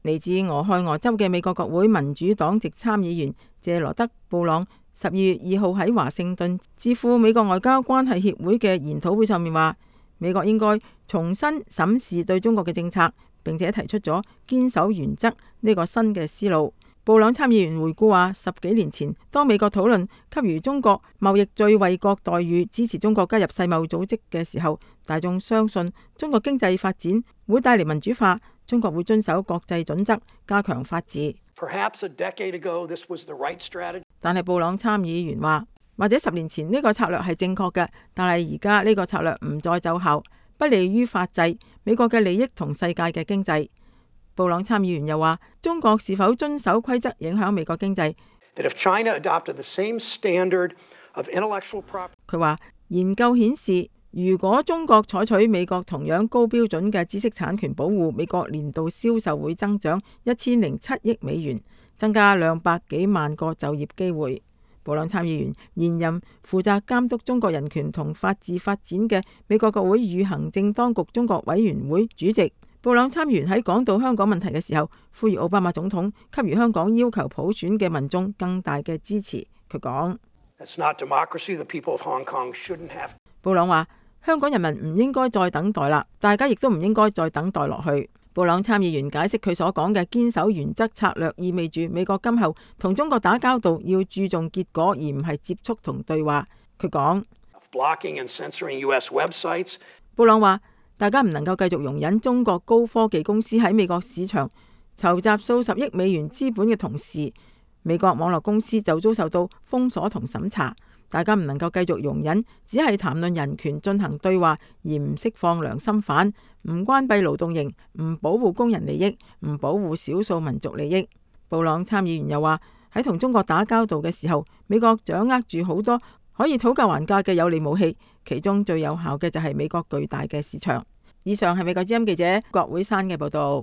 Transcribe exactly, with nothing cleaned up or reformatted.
嚟自俄亥俄州嘅美國國會民主黨籍參議員謝羅德·布朗十二月二號喺華盛頓智庫美國外交關係協會嘅研討會上面話，美國應該重新審視對中國嘅政策，並且提出咗堅守原則呢個新嘅思路。布朗參議員回顧話，十幾年前當美國討論給予中國貿易最惠國待遇，支持中國加入世貿組織嘅時候，大眾相信中國經濟發展會帶嚟民主化，中國會遵守國際準則，加強法治。但係布朗參議員話，或者十年前呢個策略係正確嘅，但係而家呢個策略唔再奏效，不利於法制、美國嘅利益同世界嘅經濟。布朗參議員又話，中國是否遵守規則影響美國經濟。佢話研究顯示，如果中國採取美國同樣高標準嘅知識產權保護，美國年度銷售會增長一千零七億美元，增加兩百幾萬個就業機會。布朗參議員現任負責監督中國人權同法治發展嘅美國國會與行政當局中國委員會主席。布朗參議員喺講到香港問題嘅時候，呼籲奧巴馬總統給予香港要求普選嘅民眾更大嘅支持。佢講，布朗話，香港人民唔應該再等待啦，大家亦都唔應該再等待落去。布朗參議員解釋佢所講嘅堅守原則策略，意味住美國今後同中國打交道要注重結果，而唔係接觸同對話。佢講，布朗話，大家唔能夠繼續容忍中國高科技公司喺美國市場籌集數十億美元資本嘅同時，美國網絡公司就遭受到封鎖同審查。大家唔能夠繼續容忍只係談論人權進行對話，而唔釋放良心犯，唔關閉勞動營，唔保護工人利益，唔保護少數民族利益。布朗參議員又話，喺同中國打交道嘅時候，美國掌握住好多可以討價還價嘅有利武器，其中最有效嘅就係美國巨大嘅市場。以上係美國之音記者郭會山嘅報道。